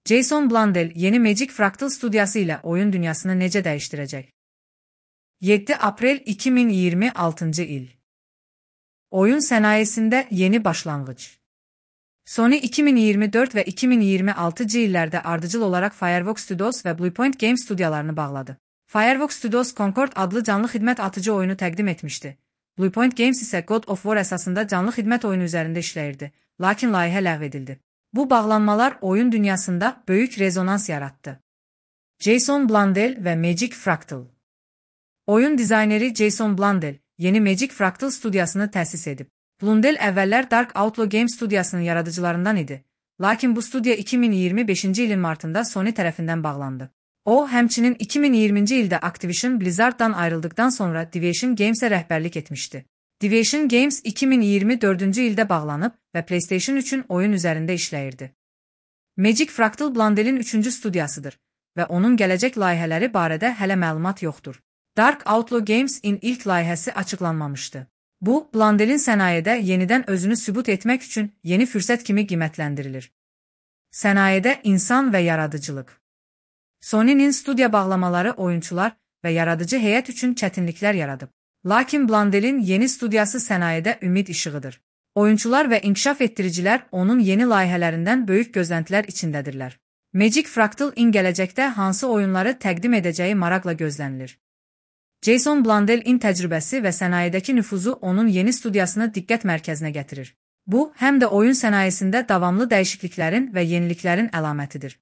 Jason Blundell yeni Magic Fractal stüdyosu ile oyun dünyasını necə dəyişdirəcək? 7 Aprel 2026 il. Oyun sənayesində yeni başlanğıc. Sony 2024 və 2026 illərdə ardıcıl olaraq Fireworks Studios və Bluepoint Games stüdyolarını bağladı. Fireworks Studios Concord adlı canlı xidmət atıcı oyunu təqdim etmişdi. Bluepoint Games isə God of War əsasında canlı xidmət oyunu üzərində işləyirdi, lakin layihə ləğv edildi. Bu bağlanmalar oyun dünyasında böyük rezonans yarattı. Jason Blundell və Magic Fractal. Oyun dizayneri Jason Blundell yeni Magic Fractal stüdyosunu təsis edib. Blundell əvvəllər Dark Outlaw Games stüdyosunun yaradıcılarından idi, lakin bu stüdyo 2025-ci ilin martında Sony tərəfindən bağlandı. O, həmçinin 2020-ci ildə Activision Blizzard'dan ayrıldıqdan sonra Deviation Games'e rəhbərlik etmişdi. Deviation Games 2024-cü ildə bağlanıb və PlayStation 3-ün oyun üzərində işləyirdi. Magic Fractal Blundell'in 3-cü stüdyosudur və onun gələcək layihələri barədə hələ məlumat yoxdur. Dark Outlaw Games-in ilk layihəsi açıqlanmamışdı. Bu, Blundell'in sənayədə yenidən özünü sübut etmək üçün yeni fürsət kimi qiymətləndirilir. Sənayədə insan və yaradıcılıq. Sony'nin stüdyo bağlamaları oyunçular və yaradıcı heyət üçün çətinliklər yaradıb. Lakin Blundell'in yeni stüdyosu sənayədə ümid işığıdır. Oyunçular və inkişaf etdiricilər onun yeni layihələrindən böyük gözləntilər içindədirlər. Magic Fractal-in gələcəkdə hansı oyunları təqdim edəcəyi maraqla gözlənilir. Jason Blundell-in təcrübəsi və sənayedəki nüfuzu onun yeni stüdyosunu diqqət mərkəzinə gətirir. Bu, həm də oyun sənayesində davamlı dəyişikliklərin və yeniliklərin əlamətidir.